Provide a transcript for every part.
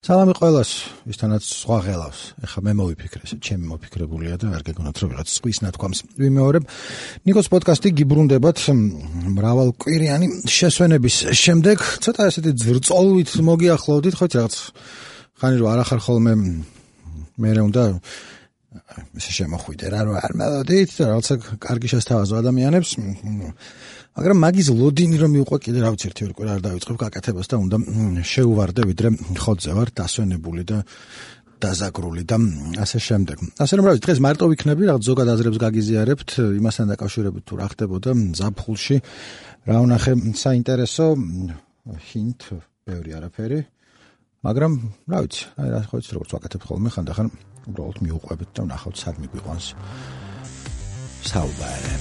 სალამი ყველას, ვისთანაც სხვა ღელავს. ეხლა მე მოვიფიქრე, ჩემი მოფიქრებულია და არ გეგონათ რომ ვიღაც სხვის ნათქვამს ვიმეორებ. ნიკოს პოდკასტი გიბრუნდებათ მრავალკვირიანი შესვენების შემდეგ, ცოტა ესეთი ძრწოლვით მოგიახლოვდით, ხო რაღაც ხანი რომ არ ახარ ხოლმე მე უნდა ესე შემოხვიდე რა რომ არ მელოდით და რაღაცა კარგი შესთავაზო ადამიანებს. მაგრამ მაგის ლოდინი რომ მიუყვა კიდე რა ვიცი ერთი ორი არ დავიწყებ გაკეთებას და უნდა შეუვარდე ვიდრე ხოთზე ვარ დასვენებული და დაზაგრული და ასე შემდეგ. ასე რომ რა ვიცი დღეს მარტო ვიქნები რაღაც ზოგად აზრებს გაგიზიარებთ იმასთან დაკავშირებით თუ რა ხდებოდა ზაფხულში რა ვნახე საინტერესო ჰინტ ბევრი არაფერი მაგრამ რა ვიცი აი რა ხო იცი როგორც ვაკეთებ ხოლმე ხანდახან უბრალოდ მიუყვებით და ვნახავთ სად მიგვიყვანს საუბარი.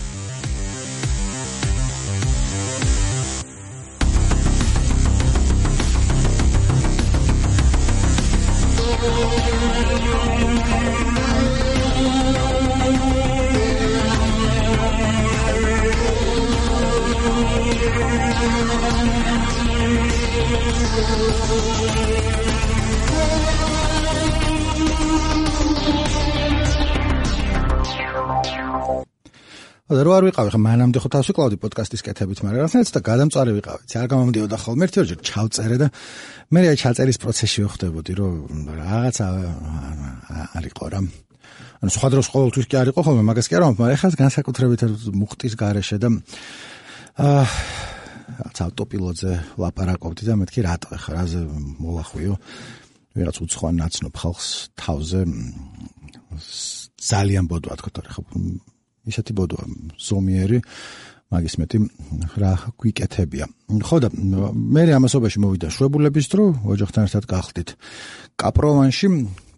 და რო არ ვიყავი ხა მანამდე ხო თავს ვიკლავდი პოდკასტის კეთებით, მაგრამ რაღაცნაირად და გადამწვარი ვიყავი. არ გამომდიოდა ხოლმე ერთი ორჯერ ჩავწერე და მე აი ჩაწერის პროცესში ვხვდებოდი, რომ რაღაცა არისო რა. ანუ სხვა დროს ყოველთვის კი არისო ხოლმე, მაგას კი არ ვამბობ, მაგრამ ეხლა განსაკუთრებით მუხტის გარეშე და რაღაც ავტოპილოტზე ლაპარაკობდი და მეთქი რატო ეხლა რაზე მოვახვიო. ვიღაც უცხოა ნაცნობ ხალხს თავზე ძალიან ბოდვა თქო თორე ხო ისეთი ბოდვა ზომიერი მაგის მეტი რა გვიკეთებია. ხო და მე ამასობაში მოვიდა შვებულების დრო ოჯახთან ერთად გახდით კაპროვანში.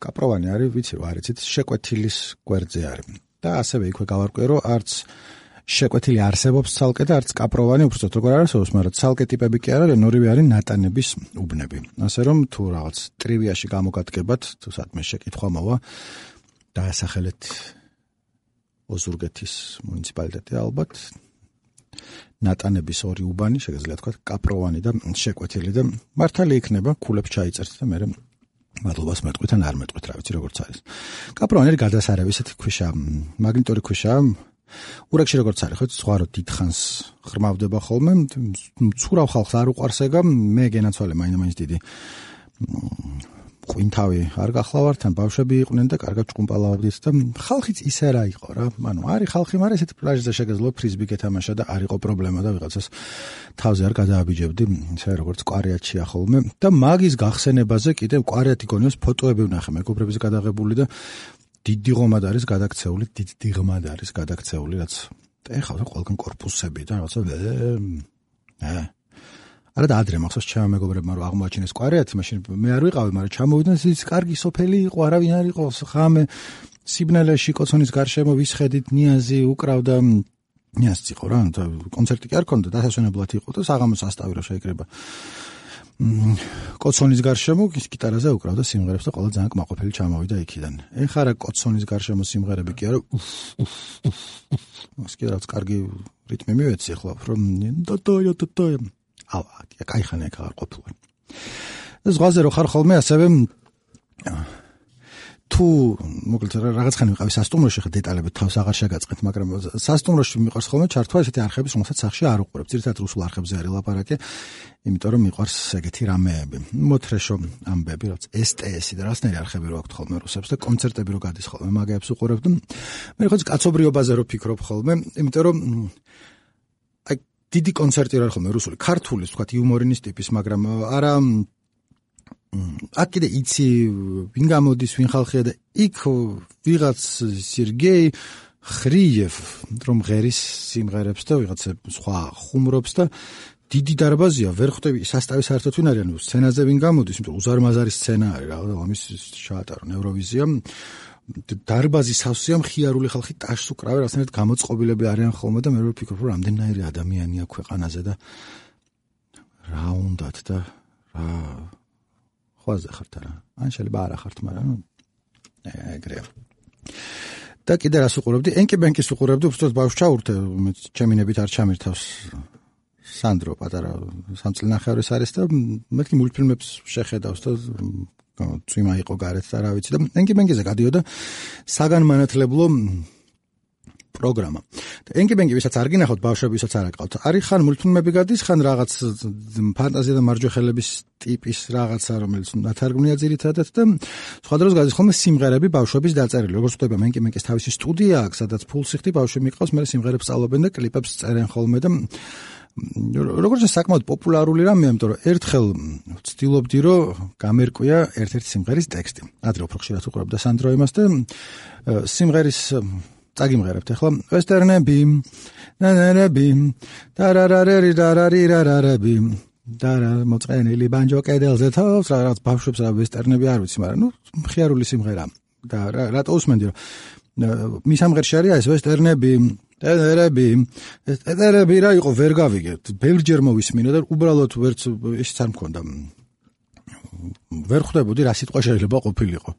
კაპროვანი არის ვიცი რა არიცით შეკვეთილის გვერდზე არის და ასევე იქვე გავარკვე რომ არც შეკვეთილი არსებობს ცალკე და არც კაპროვანი უბრალოდ როგორ არსებობს, მაგრამ ცალკე ტიპები კი არა, ორივე არის ნატანების უბნები. ასე რომ თუ რაღაც ტრივიაში გამოგადგებათ, თუ სადმე შეკითხვა მოვა დაასახელეთ ოზურგეთის მუნიციპალიტეტი ალბათ ნატანების ორი უბანი შეგიძლიათ თქვა კაპროვანი და შეკვეთილი და მართალი იქნება ქულებს ჩაიწერთ და მე მადლობას მეტყვით ან არ მეტყვით რა ვიცი როგორც არის. კაპროვანი არის გადასარევი ესეთი ქვიშა, მაგნიტორი ქვიშა ურეკში როგორც არის ხო სხვა რო დიდხანს ხრმავდება ხოლმე ცურავ ხალხს არ უყარს ეგა მე გენაცვალე მაინც დიდი ყვინთავი არ გახლავართ ან ბავშვები იყვნენ და კარგად ჭკუმპალავდით და ხალხიც ისე რა იყო რა ანუ არის ხალხი მაგრამ ესეთი პლაჟზე შეგეძლო ფრიზბი გეთამაშა და არ იყო პრობლემა და ვიღაცას თავზე არ გადააბიჯებდი ისე როგორც კვარიატშია ხოლმე და მაგის გახსენებაზე კიდე კვარიატი გონიოს ფოტოები ვნახე მეგობრებზე გადაღებული და დიდი ღომად არის გადაქცეული, დიდი ღმად არის გადაქცეული, რაც ეხავდა ყველგან корпуსები და რაღაცა არა და ადრე მახსოვს ჩემ მეგობრებმა რომ აღმოაჩინეს კვარიატი, მაშინ მე არ ვიყავი, მაგრამ ჩამოვიდნენ ის კარგი სოფელი იყო, არავინ არ იყო, ხამე სიბნელეში კოცონის გარშემო ვისხედით, ნიაზი უკრავდა, ნიაზი იყო რა, კონცერტი კი არ ქონდა, დასასვენებლად იყო და საღამოს ასტავი რა შეიკრება. კოცონის გარშემო გიტარაზე უკრავდა სიმღერებს და ყველა ძალიან კმაყოფილი ჩამოვიდა იქიდან. ეხლა რა კოცონის გარშემო სიმღერები კი არა. მას კი რაც კარგი რიტმი მივეცი ახლა რომ დოდოյო. ავა, кайხანე აქ არ ყოფილა. ზღვაზე რო ხარ ხოლმე ასევე თუ მოკლედ რაღაც ხანი ვიყავი სასტუმროში ხა დეტალებით თავს აღარ შეგაწყეთ, მაგრამ სასტუმროში მიყვარს ხოლმე ჩართვა ესეთი არხების, რომელსაც სახში არ უყურებ. ძირითადად რუსულ არხებზე არის ლაპარაკი, იმიტომ რომ მიყვარს ეგეთი რამეები. მოთრეშო ამბები, რაც STS-ი და რაღაცნაირი არხები რო აქვთ ხოლმე რუსებს და კონცერტები რო გადის ხოლმე მაგებს უყურებ და მე ხო კაცობრიობაზე რო ფიქრობ ხოლმე, იმიტომ რომ აი დიდი კონცერტი რა ხოლმე რუსული, ქართული, თქვა იუმორინის ტიპის, მაგრამ არა აქ კიდე იცი ვინ გამოდის ვინ ხალხია და იქ ვიღაც სერგეი ხრიევ რომ ღერის სიმღერებს და ვიღაც სხვა ხუმრობს და დიდი დარბაზია ვერ ხვდები სასტავი საერთოდ ვინ არის ანუ სცენაზე ვინ გამოდის იმიტომ უზარმაზარი სცენა არის რა ამის ჩაატარო ევროვიზია დარბაზი სავსეა მხიარული ხალხი ტაშს უკრავენ რაღაცნაირად გამოწყობილები არიან ხოლმე და მე ვფიქრობ რომ რამდენიერი ადამიანია ქვეყანაზე და რა უნდათ და რა ხვაზე ხართ არა ან შეიძლება არა ხართ მაგრამ ეგრე და კიდე რას უყურებდი ენკი ბენკის უყურებდი უბრალოდ ბავშვს ჩაურთე ჩემინებით არ ჩამირთავს სანდრო პატარა სამწლინახევრის არის და მეთქი მულტფილმებს შეხედავს და წვიმა იყო გარეთ და რა ვიცი და ენკი-ბენკიზე გადიოდა საგანმანათლებლო პროგრამა. ენკი-ბენკი ვისაც არ გინახავთ ბავშვები ვისაც არ აკავთ. არის ხან მულტფილმები გადის, ხან რაღაც ფანტაზია და მარჯვეხელების ტიპის რაღაცა, რომელიც ნათარგმნია ძირითადად და სხვა დროს გადის ხოლმე სიმღერები ბავშვების დაწერილი. როგორც ვთქვი, ენკი-ბენკის თავისი სტუდია აქვს, სადაც ფულსიხდი ბავშვები მიყავს, მე სიმღერებს სწავლობენ და კლიპებს წერენ ხოლმე და როგორც საკმაოდ პოპულარული რამეა, იმიტომ რომ ერთხელ ვცდილობდი, რომ გამერკვია ერთ-ერთი სიმღერის ტექსტი. ადრე უფრო ხშირად უყურებდა სანდრო იმას და სიმღერის წაგიმღერებთ ახლა ვესტერნები ნანერები დარარარერირარარირარები დარა მოწყენილი ბანჯო კედელზე თავს რაღაც ბავშვებს რა ვესტერნები არ ვიცი, მაგრამ მხიარული სიმღერა და რატო უსმენდი რომ მის ამღერში არის ეს ვესტერნები ტერები რა იყო ვერ გავიგეთ ბევრჯერ მოვისმინე და უბრალოდ ვერც ისიც არ მქონდა ვერ ხვდებოდი რა სიტყვა შეიძლება ყოფილიყო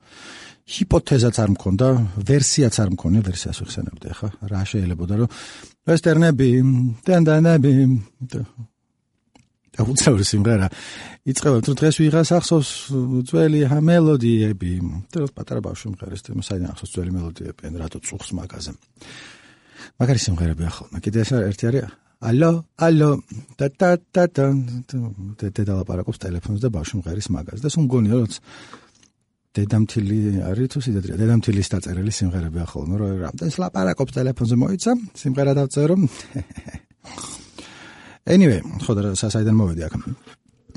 ჰიპოთეზაც არ მქონდა ვერსიაც არ მქონია ვერსიას ვიხსენებდი ხა რა შეიძლებოდა რომ ვესტერნები დანდანები და უცნაური სიმღერა იწყება თუ დღეს ვიღას ახსოვს ძველი მელოდიები და პატარა ბავშვი მღერის და საიდან ახსოვს ძველი მელოდიები რატო წუხს მაგაზე მაგარი სიმღერები ახლა კიდე ეს ერთი არის ალო და დედალაპარაკობს ტელეფონზე და ბავშვი მღერის მაგაზე და სულ მგონია რომ დედამთილი არის თუ სიდადრეა დედამთილის დაწერილი სიმღერები ახლა ნუ რამდენს ლაპარაკობს ტელეფონზე მოიცა სიმღერა დავწერო anyway ხოდა საიდან მოვედი აქ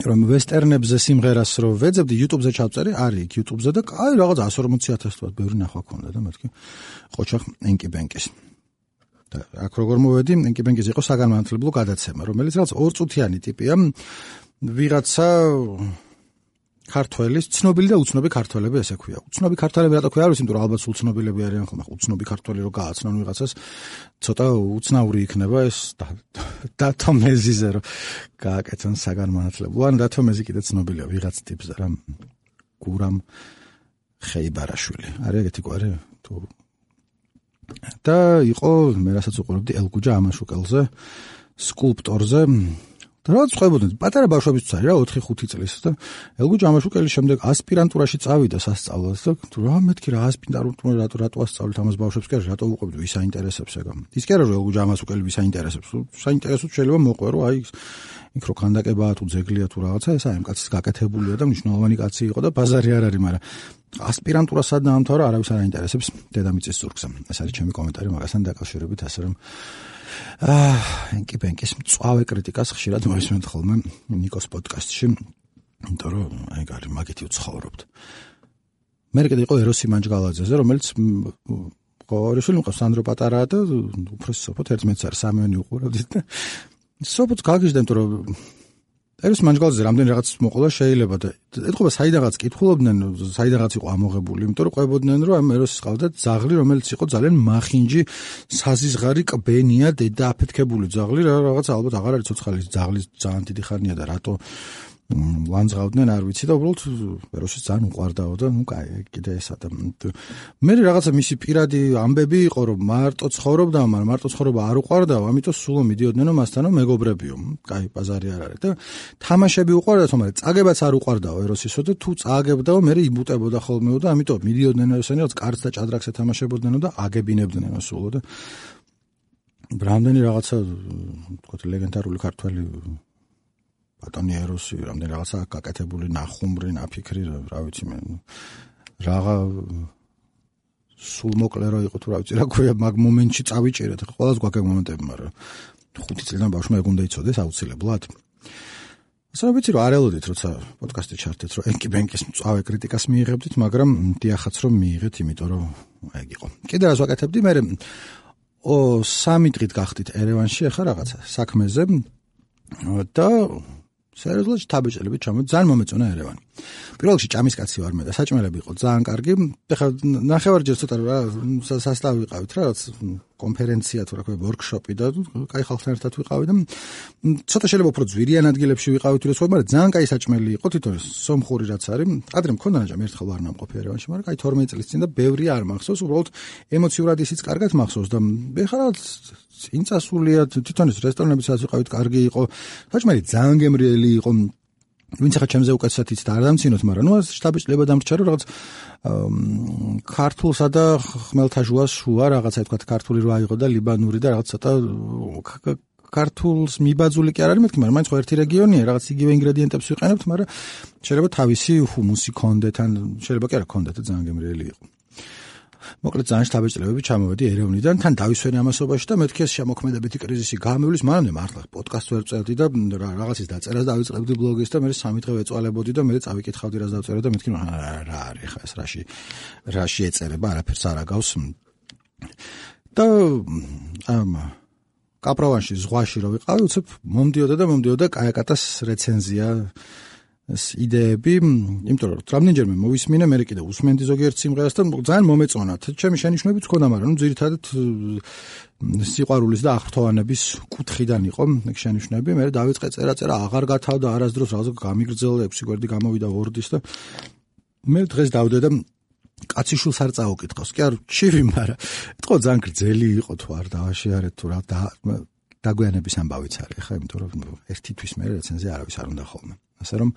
რომ ვესტერნებზე სიმღერას რო ვეძებდი YouTube-ზე ჩავწერი არის იქ YouTube-ზე და აი რაღაც 140,000 თვათ ბევრი ნახვა ქონდა და მეთქი ყოჩახ ენკი-ბენკის და აქ როგორ მოვედი ენკი-ბენკის იყო საგანმანათლებლო გადაცემა რომელიც რაღაც 2 წუთიანი ტიპია ვიღაცა ქართველის ცნობილი და უცნობი ქართველები ესე ქვია. უცნობი ქართველები რატო ქვია? არ ვიცი, იმიტომ რომ ალბათ სულ ცნობილები არიან ხოლმე. უცნობი ქართველი რო გააცნონ ვიღაცას, ცოტა უცნაური იქნება ეს დათო მეზიზე რომ გააკეთონ საგანმანათლებლო. ან დათო მეზი კიდე ცნობილია ვიღაც ტიპზე რა გურამ ხეიბარაშვილი. არის ეგეთი გვარი თუ და იყო მე რასაც უყურებდი ელგუჯა ამაშუკელზე, სკულპტორზე რაც ხვებოდნენ პატარა ბავშვებიც არის რა 4-5 წლის და ელგუჯა ამაშუკელის შემდეგ ასპირანტურაში წავიდა სასწავლად და თუ რა მეთქი რა ასპირანტურა რატო ასწავლეთ ამას ბავშვებს კი რატო უყვებდი ვის აინტერესებს ეგა ის კი არა რომ ელგუჯა ამაშუკელი ვის აინტერესებს საინტერესოდ შეიძლება მოყვერო აი იქ რო ქანდაკებაა თუ ძეგლია თუ რაღაცა ეს აი კაცის გაკეთებულია და მნიშვნელოვანი კაცი იყო და ბაზარი არ არის მაგრამ ასპირანტურა სად დაამთავრა არავის არ აინტერესებს დედამიწის ზურგზე ეს არის ჩემი კომენტარი მაგასთან დაკავშირებით ასე რომ ენკი-ბენკის მწვავე კრიტიკას ხშირად მოვისმენთ ხოლმე ნიკოს პოდკასტში, იმიტომ რომ აი გარი მაგითი ვცხოვრობთ. მე კიდე იყო ეროსი მანჯგალაძეზე, რომელიც ყორიშვილი მყავს სანდრო პატარაა და უფროსი სოფოთ ერთმეც არის სამივენი უყურებდით და სოფოთ გაგიჟდა, იმიტომ რომ ეროსი მანჯგალაძე რამდენი რაღაც მოყოლა შეიძლება და ეთქობა საიდანაც კითხულობდნენ, საიდანაც იყო ამოღებული, იმიტომ რომ ყვებოდნენ რომ ამ ეროსის ყავდა ძაღლი, რომელიც იყო ძალიან მახინჯი, საზიზღარი კბენია, დედა აფეთქებული ძაღლი, რაღაც ალბათ აღარ არის ცოცხალი ძაღლის ძალიან დიდი ხანია და რატო ლანძღავდნენ არ ვიცი და უბრალოდ ეროსის ძალიან უყვარდაო და ნუ კაი კიდე ესა და მე რაღაცა მისი პირადი ამბები იყო რომ მარტო ცხოვრობდა, მაგრამ მარტო ცხოვრება არ უყვარდაო, ამიტომ სულო მიდიოდნენ მასთანო მეგობრებიო. კაი ბაზარი არ არის და თამაშები უყვარდა, თუმცა წაგებაც არ უყვარდაო ეროსისო და თუ წაგებდაო მე იბუტებოდა ხოლმეო და ამიტომ მიდიოდნენ ესენი რაც კარდს და ჭადრაკს ეთამაშებოდნენ და აგებინებდნენ სულო და რამდენი რაღაცა თქო ლეგენდარული ქართველი ბატონი ეროსი რამდენი რაღაცა გაკეთებული ნახუმრი ნაფიქრი რა ვიცი მე რაღა სულ მოკლე რო იყო თუ რა ვიცი რა ქვია მაგ მომენტში წავიჭერეთ ყველას გვაქვს მომენტები მაგრამ 5 წლიდან ბავშვმა ეგ უნდა იცოდეს აუცილებლად ასე ვიცი რომ არ ელოდით როცა პოდკასტი ჩართეთ რომ ენკი-ბენკის მწვავე კრიტიკას მიიღებდით მაგრამ დიახაც რომ მიიღეთ იმიტომ რომ ეგ იყო კიდე რას ვაკეთებდი მე 3 დღით გახდით ერევანში ახლა რაღაცა საქმეზე და სერიოზულად თაბეჭელებით ჩამოდი ძალიან მომეწონა ერევანი პირველ რიგში ჭამისკაცი ვარ მე და საჭმელები იყო ძალიან კარგი. ეხლა ნახევარჯერ ცოტა რა სასტავი ვიყავით რა, რაც კონფერენცია თუ რა ქვია, ვორქშოპი და კაი ხალხთან ერთად ვიყავი და ცოტა შეიძლება უფრო ძვირიან ადგილებში ვიყავით თუ სხვა, მაგრამ ძალიან კაი საჭმელი იყო თვითონ სომხური რაც არის. ადრე მქონდა ნაჭამი, ერთხელ ვარ ნამყოფი ერევანში, მაგრამ კაი 12 წლის წინ და ბევრი არ მახსოვს, უბრალოდ ემოციურად ისიც კარგად მახსოვს და ეხლა რა წინ წასულია თვითონ ეს რესტორნები სადაც ვიყავით კარგი იყო. საჭმელი ძალიან გემრიელი იყო. ვინც ახლა ჩემზე უკეთესად იცით არ დამცინოთ, მაგრამ ნუ შტაბიჭლება დამრჩა რომ რაღაც ქართულსა და ხმელთაშუას შუა რაღაცა თქვა ქართული რა იყო და ლიბანური და რაღაც ცოტა ქართულს მიბაძული კი არ არის მეთქი, მაგრამ მაინც ხო ერთი რეგიონია, რაღაც იგივე ინგრედიენტებს ვიყენებთ, მაგრამ შეიძლება თავისი ჰუმუსი ქონდეთ, ან შეიძლება კი არა ქონდეთ და ძალიან გემრიელი იყო. მოკლედ ძალიან შთაბეჭდილებები ჩამოვედი ერევნიდან, თან დავისვენე ამასობაში და მეთქი ეს შემოქმედებითი კრიზისი გამივლის, მანამდე მართლა პოდკასტს ვერ წევდი და რაღაცის დაწერას დავიწყებდი ბლოგის და მე 3 დღე ვეწვალებოდი და მე წავიკითხავდი რას დავწერე და მეთქი რა არის ხა ეს რაში ეწერება, არაფერს არ აგავს. და კაპრავანში ზღვაში რო ვიყავი, უცებ მომდიოდა კაიაკატას რეცენზია იდეები, იმიტომ რომ რამდენჯერმე მოვისმინე, მე კიდე უსმენდი ზოგიერთ სიმღერას და ძალიან მომეწონა. ჩემი შენიშვნებიც ჰქონდა, მაგრამ ძირითადად სიყვარულის და აღფრთოვანების კუთხიდან იყო ეგ შენიშვნები. მე დავიწყე წერა, აღარ გათავდა არასდროს რაღაც გამიგრძელდა 6 გვერდი გამოვიდა Word-ის და მე დღეს დავდე და კაციშულს არ წაუკითხავს. კი არ ჩივი, მაგრამ ეთქო ძალიან გრძელი იყო თუ არ დავაშიარეთ თუ რა დაგვიანების ამბავიც არის ხა, იმიტომ რომ ერთი თვის მე რეცენზია არავის არ უნდა ხოლმე. ასე რომ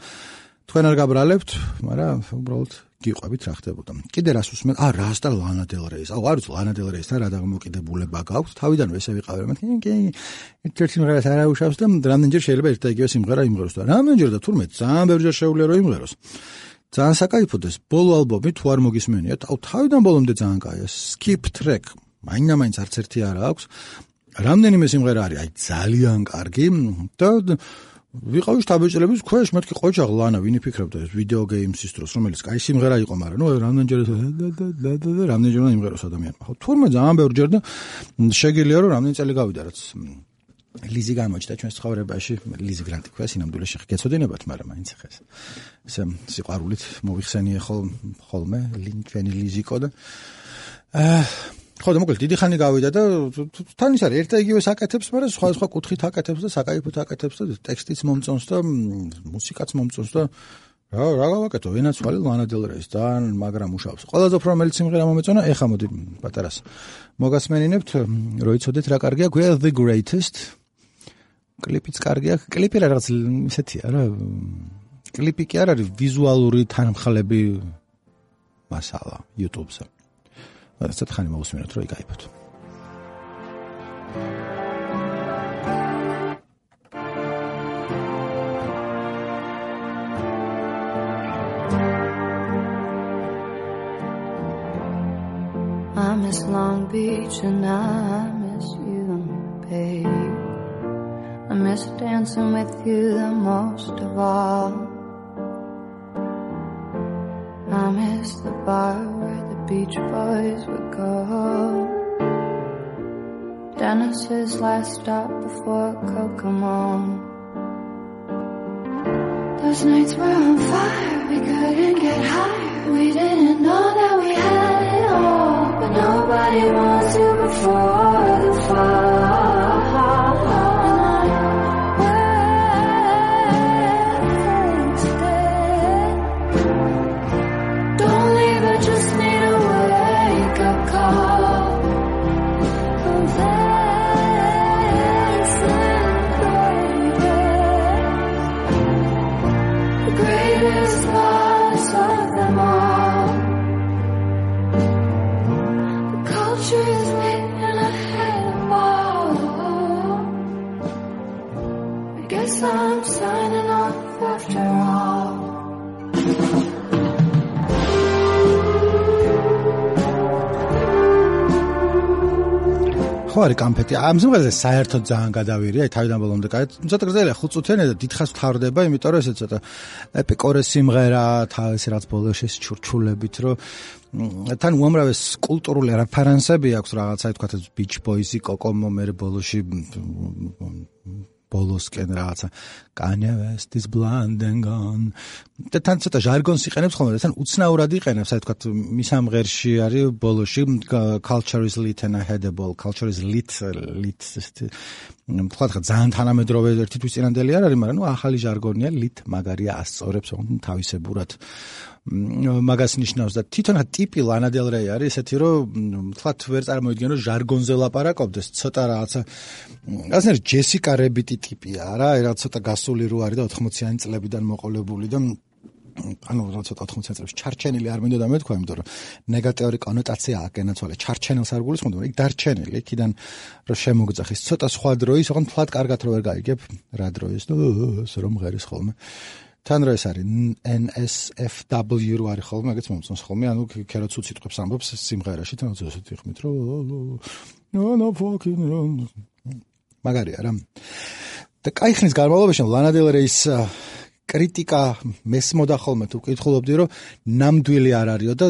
თქვენ არ გაბრალებთ, მაგრამ უბრალოდ გიყვებით რა ხდებოდა. კიდე რას უსმენ? რას და ლანა დელ რეის. არ ვიცი ლანა დელ რეისთან რა დამოკიდებულება გაქვს. თავიდანვე ესე ვიყავი, მე ერთ-ერთი სიმღერას არ აუშავს და რამდენჯერ შეიძლება ერთ და იგივე სიმღერა იმღეროს და რამდენჯერ და თურმე ძალიან ბევრჯერ შეუძლია რომ იმღეროს. ძალიან საკაიფოა ეს ბოლო ალბომი თუ არ მოგისმენია, თავიდან ბოლომდე ძალიან კაია. Skip track. მაინც არც ერთი არ აქვს. რამდენიმე სიმღერა არის, ძალიან კარგი და ვიყავი შთაბეჭდილების ქვეშ, მეთქი ყოჩაღ ლანა, ვინ იფიქრებდა ეს ვიდეო გეიმსის დროს, რომელიც კაი სიმღერა იყო, მაგრამ ნუ რამდენჯერ უნდა იმღეროს ადამიანმა. ხო, თურმე ძალიან ბევრჯერ და შეგიძლია რომ რამდენი წელი გავიდა, რაც ლიზი გამოჩნდა ჩვენს ცხოვრებაში, ლიზი გრანტი ქვია, სინამდვილეში გეცოდინებათ, მაგრამ მაინც ხა ესე სიყვარულით მოვიხსენიე ხოლმე ჩვენი ლიზიკო და ხო და მოკლედ დიდი ხანი გავიდა და თან ის არის ერთ და იგივე საკეთებს, მაგრამ სხვა კუთხით აკეთებს და საკაიფოდ აკეთებს და ტექსტიც მომწონს და მუსიკაც მომწონს და რა გავაკეთო, ვენაცვალე ლანა დელ რეის და მაგრამ მუშაობს. ყველაზე უფრო რომელიც სიმღერა მომეწონა, ეხა მოდი პატარას მოგასმენინებთ, რომ იცოდეთ რა კარგია, გვია The Greatest. კლიპიც კარგია, კლიპი რაღაც ისეთია რა. კლიპი კი არ არის ვიზუალური თანმხლები მასალა YouTube-ზე. ასე თხანი მოვუსმინოთ რომ იკაიფოთ. I miss Long Beach and I miss you, babe. I miss dancing with you the most of all. I miss the bar where the Beach Boys would go. Dennis's last stop before Kokomo. Those nights were on fire, we couldn't get higher. We didn't know that we had it all, but nobody wants you before the fall. I'm signing off after all. ხო არის კამფეტი. ამ სიმღერაზე საერთოდ ძალიან გადავირია, თავიდან ბოლომდე კაი. ცოტა გრძელია 5 წუთიანი და დიდხანს ვთავრდება, იმიტომ რომ ესე ცოტა ეპიკორეს სიმღერა, თავისი რაც ბოლოში ჩურჩულებით, რომ თან უამრავი კულტურული რეფერენსები აქვს რაღაცა, თქვათ Beach Boys-ი, Kokomo, მე ბოლოში ბოლოსკენ რაღაცა Kanye West is blonde and gone. და თან ცოტა ჟარგონს იყენებს ხოლმე, თან უცნაურად იყენებს, აი თქვა მის ამღერში არის ბოლოში culture is lit and headable, culture is lit თქვა ძალიან თანამედროვე ერთი თვის წინანდელი არ არის, მაგრამ ნუ ახალი ჟარგონია lit მაგარია ასწორებს თავისებურად მაგას ნიშნავს და თვითონ ტიპი Lana Del Rey არის ესეთი რომ თქვა ვერ წარმოიდგენ რომ ჟარგონზე ლაპარაკობდეს ცოტა რაღაცა ასნერ ჯესიკა რებიტი ტიპია რა რაღაც ცოტა გასული რო არის და 80-იანი წლებიდან მოყოლებული და ანუ ცოტა 80-იანი წლებში ჩარჩენილი არ მინდოდა მეთქვა იმიტომ რომ ნეგატიური კონოტაცია აკენაცვალე ჩარჩენილს არ გულისხმობდა მაგრამ იქ დარჩენილი იქიდან რომ შემოგძახის ცოტა სხვა დროის ოღონდ თლად კარგად რო ვერ გაიგებ რა დროის და რომ ღერის ხოლმე თან რო ეს არის NSFW რო არის ხოლმე მაგაც მომწონს ხოლმე ანუ ქეროც უციტყვებს ამბობს სიმღერაში თან ზუსტად იხმით რომ no fucking wrong მაგარია რა და კაი ხნის განმავლობაში Lana Del Rey-ის კრიტიკა მესმოდა ხოლმე თუ ვკითხულობდი რომ ნამდვილი არ არისო და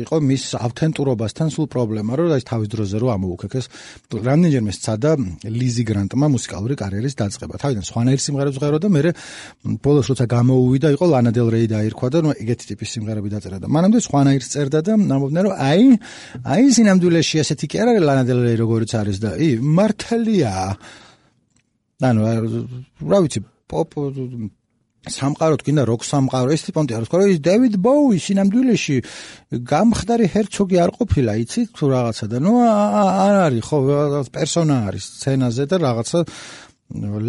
იყო მის ავთენტურობასთან სულ პრობლემა რომ აი თავის დროზე რომ ამოუქეკეს რამდენჯერმე სცადა ლიზი გრანტმა მუსიკალური კარიერის დაწყება თავიდან სხვანაირ სიმღერებს ღერო და მე ბოლოს როცა გამოუვიდა იყო Lana Del Rey დაირქვა და ეგეთი ტიპის სიმღერები დაწერა და მანამდე სხვანაირს წერდა და ამბობდნენ რომ აი სინამდვილეში ესეთი კი არ არის Lana Del Rey როგორიც არის და მართალია ანუ რა ვიცი პოპ სამყაროთ გინდა როკ სამყარო ეს ტიპონტი არის ხო ის დევიდ ბოუი სინამდვილეში გამხდარი ჰერცოგი არ ყოფილა იცით თუ რაღაცა და ნუ არ არის ხო პერსონა არის სცენაზე და რაღაცა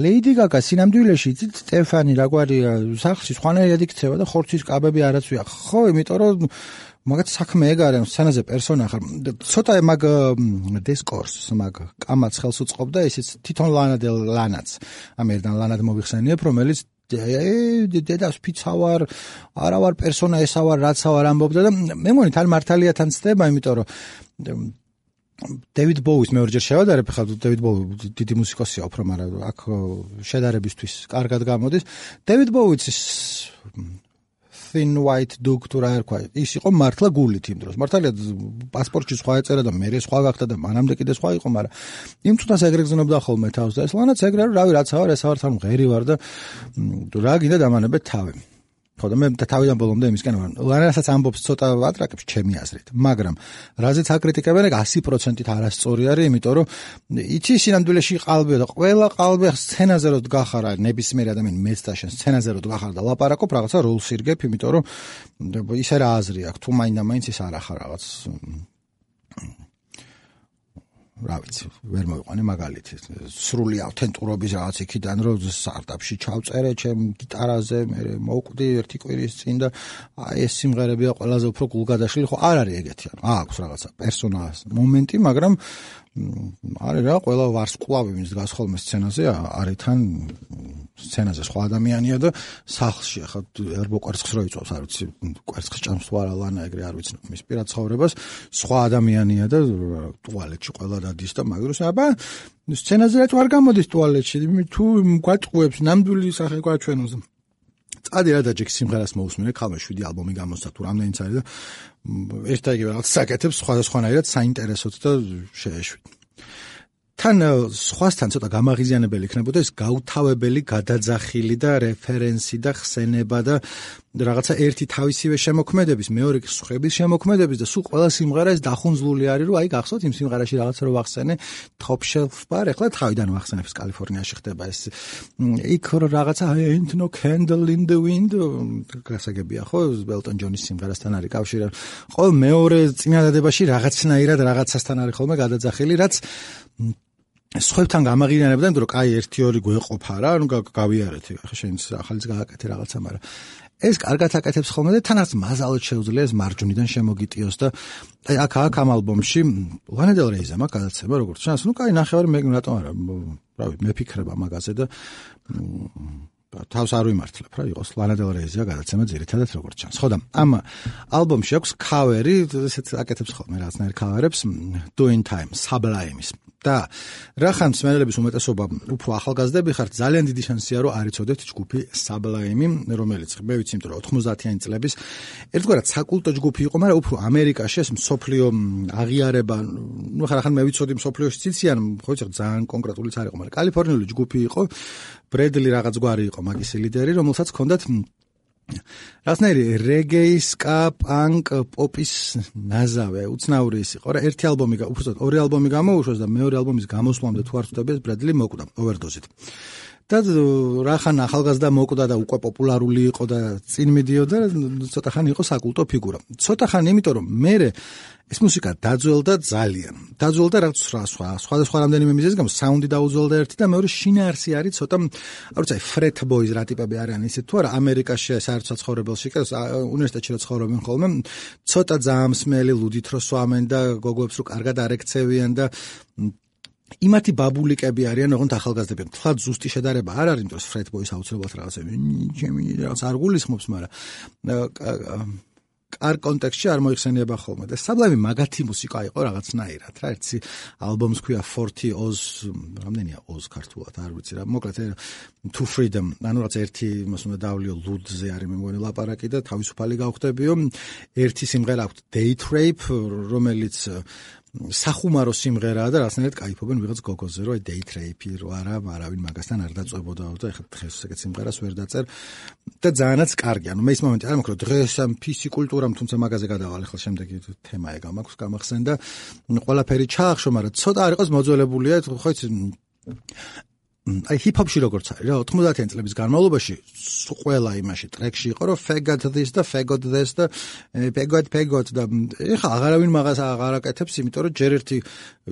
ლეიდი გაგა სინამდვილეში იცით სტეფანი რაგვარია სახლში სხვანაირად იქცევა და ხორცის კაბები არაცვია ხო იმიტომ რომ მაგათ საქმე ეგ არის სცენაზე პერსონა ხარ ცოტა მაგ დისკორსს მაგ კამაც ხელს უწყობდა ისიც თვითონ ლანაც ამერიდან ლანად მოვიხსენიებ რომელიც დედას ფიცავარ არავარ პერსონა ესავარ რაცავარ ამბობდა და მე მგონი თან მართალია თან ცდება იმიტომ რომ დევიდ ბოუის მეორჯერ შევადარებ ხა დევიდ ბოუი დიდი მუსიკოსია უფრო მაგრამ აქ შედარებისთვის კარგად გამოდის დევიდ ბოუის Thin White Duke თუ რა ერქვა ის იყო მართლა გულით იმ დროს მართალია პასპორტში სხვა ეწერა და მე სხვა გახდა და მანამდე კიდე სხვა იყო მაგრამ იმ წუთას ეგრე გზნობდა ხოლმე თავს და ეს ლანაც ეგრე რომ რავი რაცაა ეს ავარ თან ღერი ვარ და რა გინდა დამანებე თავი ხო და მე თავიდან ბოლომდე იმისკენ ვარ ლანასაც ამბობს ცოტა ვატრაკებს ჩემი აზრით მაგრამ რაზეც აკრიტიკებენ ეგ 100%-ით არასწორი არის იმიტომ რომ იცი სინამდვილეში ყალბია და ყველა ყალბი სცენაზე რო დგახარ ნებისმიერ ადამიანი მეც და შენ სცენაზე რო დგახარ და ლაპარაკობ რაღაცა როლს ირგებ იმიტომ რომ ისე რა აზრი აქვს თუ მაინდა-მაინც ის არ ახარ რაღაც რა ვიცი ვერ მოვიყვანე მაგალითი სრული ავთენტურობის რაღაც იქიდან რომ სტარტაპში ჩავწერე ჩემ გიტარაზე მე მოვკვდი ერთი კვირის წინ და აი ეს სიმღერებია ყველაზე უფრო გულგადაშლილი ხო არ არის ეგეთი ანუ აქვს რაღაცა პერსონაჟ მომენტი მაგრამ არის რა ყველა ვარსკვლავი ვინც დგას ხოლმე სცენაზე არის თან სცენაზე სხვა ადამიანია და სახლში ახლა ერბო კვერცხს რო იწვევს არ ვიცი კვერცხს ჭამს თუ არა ლანა ეგრე არ ვიცნობ მის პირად ცხოვრებას სხვა ადამიანია და ტუალეტში ყველა დადის და მაგდროს აბა სცენაზე რაც არ გამოდის ტუალეტში თუ გვაწყუებს ნამდვილი სახე გვაჩვენოს წადი რა და ჯექ სიმღერას მოусმინე ქალმა 7 ალბომი გამოსცა თუ რამდენიც არის და ერთ და იგივე რაღაც საკეთებს სხვადასხვანაირად საინტერესოდ და შეეშვით თან სხვასთან ცოტა გამაღიზიანებელი იქნებოდა ეს გაუთავებელი გადაძახილი და რეფერენსი და ხსენება და რაღაცა ერთი თავისივე შემოქმედების მეორე სხვების შემოქმედების და სულ ყველა სიმღერა ეს დახუნძლული არის რომ აი გახსოვთ იმ სიმღერაში რაღაცა რო ვახსენე Top Shelf Bar ეხლა თავიდან ვახსენებს კალიფორნიაში ხდება ეს იქ რო რაღაცა Ain't No Candle in the Wind გასაგებია ხო Elton John-ის სიმღერასთან არის კავშირი ყოველ მეორე წინადადებაში რაღაცნაირად რაღაცასთან არის ხოლმე გადაძახილი რაც სხვებთან გამაღიზიანებდა იმიტომ რომ კაი 1-2 გვეყოფა რა ანუ გავიარეთ ახლა შენც ახალიც გააკეთე რაღაცა მაგრამ ეს კარგად აკეთებს ხოლმე და თანაც მაზალოდ შეუძლია ეს მარჯვნიდან შემოგიტიოს და აი აქ ამ ალბომში Lana Del Rey-ზე მაგ გადაცემა როგორც ჩანს ნუ კაი ნახევარი მე რატომ არა რავი მეფიქრება მაგაზე და თავს არ ვიმართლებ რა იყოს Lana Del Rey-ზე გადაცემა ძირითადად როგორც ჩანს ხო და ამ ალბომში აქვს ქავერი ესეც აკეთებს ხოლმე რაღაცნაირ ქავერებს Doing Time Sublime-ის და რახან მსმენელების უმეტესობა უფრო ახალგაზრდები ხართ, ძალიან დიდი შანსია რომ არ იცოდეთ ჯგუფი Sublime, რომელიც მე ვიცი, იმიტომ რომ 90-იანი წლების ერთგვარად საკულტო ჯგუფი იყო, მაგრამ უფრო ამერიკაში ეს მსოფლიო აღიარება, ნუ ხან მე ვიცოდი მსოფლიოში ციციან, ხო იცი ძალიან კონკრეტულიც არ იყო, მაგრამ კალიფორნიული ჯგუფი იყო, ბრედლი რაღაც გვარი იყო მაგის ლიდერი, რომელსაც ჰქონდათ რაღაცნაირი რეგეი, სკა, პანკ, პოპის ნაზავე, უცნაური ის იყო რა. ერთი ალბომი, უბრალოდ ორი ალბომი გამოუშვეს და მეორე ალბომის გამოსვლამდე თუ არ ვხვდები, ბრედლი მოკვდა ოვერდოზით. და რახან ახალგაზრდა მოკვდა და უკვე პოპულარული იყო და წინ მიდიოდა, ცოტა ხანი იყო საკულტო ფიგურა. ცოტა ხანი, იმიტომ რომ მე ეს მუსიკა დაძველდა ძალიან. დაძველდა რაღაც სხვადასხვა რამდენიმე მიზეზის გამო, საუნდი დაუძველდა ერთი და მეორე შინაარსი არის ცოტა, არ ვიცი, ფრეთ ბოიზ რა ტიპები არიან ისეთ თუ არა, ამერიკაში საერთოდ ცხოვრებელში, უნივერსიტეტში რა ცხოვრობენ ხოლმე, ცოტა ძაამსმელი, ლუდით რო სვამენ და გოგოებს რო კარგად არ ექცევიან და იმათი ბაბულიკები არიან, ოღონდ ახალგაზრდები. თლად ზუსტი შედარება არ არის, იმიტომ რომ ფრეთ ბოიზ აუცილებლად რაღაც არ გულისხმობს, მაგრამ არ კონტექსტში არ მოიხსენიება ხოლმე და Sublime მაგათი მუსიკა იყო რაღაცნაირად რა. ერთი ალბომს ქვია 40 Oz, რამდენია Oz ქართულად არ ვიცი რა. მოკლედ To Freedom, ანუ რაღაც ერთი იმას უნდა დავლიო ლუდზე არის მე მგონი ლაპარაკი და თავისუფალი გავხდებიო. ერთი სიმღერა აქვს Date Rape, რომელიც სახუმარო სიმღერაა და რაღაცნაირად кайფობენ ვიღაც გოგოზე, რომ აი Date Rape რო არა, არავინ მაგასთან არ დაწვებოდაო და ეხლა დღეს ეგეთ სიმღერას ვერ დაწერ და ძალიანაც კარგი. ანუ მე ის მომენტი არ მაქრო დღეს ამ PC კულტურამ, თუმცა მაგაზე გადავალ, ეხლა შემდეგი თემა ეგ მაქვს გამახსენდა. ყველაფერი ჩაახშო, მაგრამ ცოტა არ იყოს მოძველებულია, ხო იცი აი ჰიპ-ჰოპში როგორც არის რა 90-იან წლების განმავლობაში ყველა იმაში ტრეკში იყო რომ faggot this და faggot this და faggot და ეხლა აღარავინ მაგას აღარ აკეთებს, იმიტომ რომ ჯერ ერთი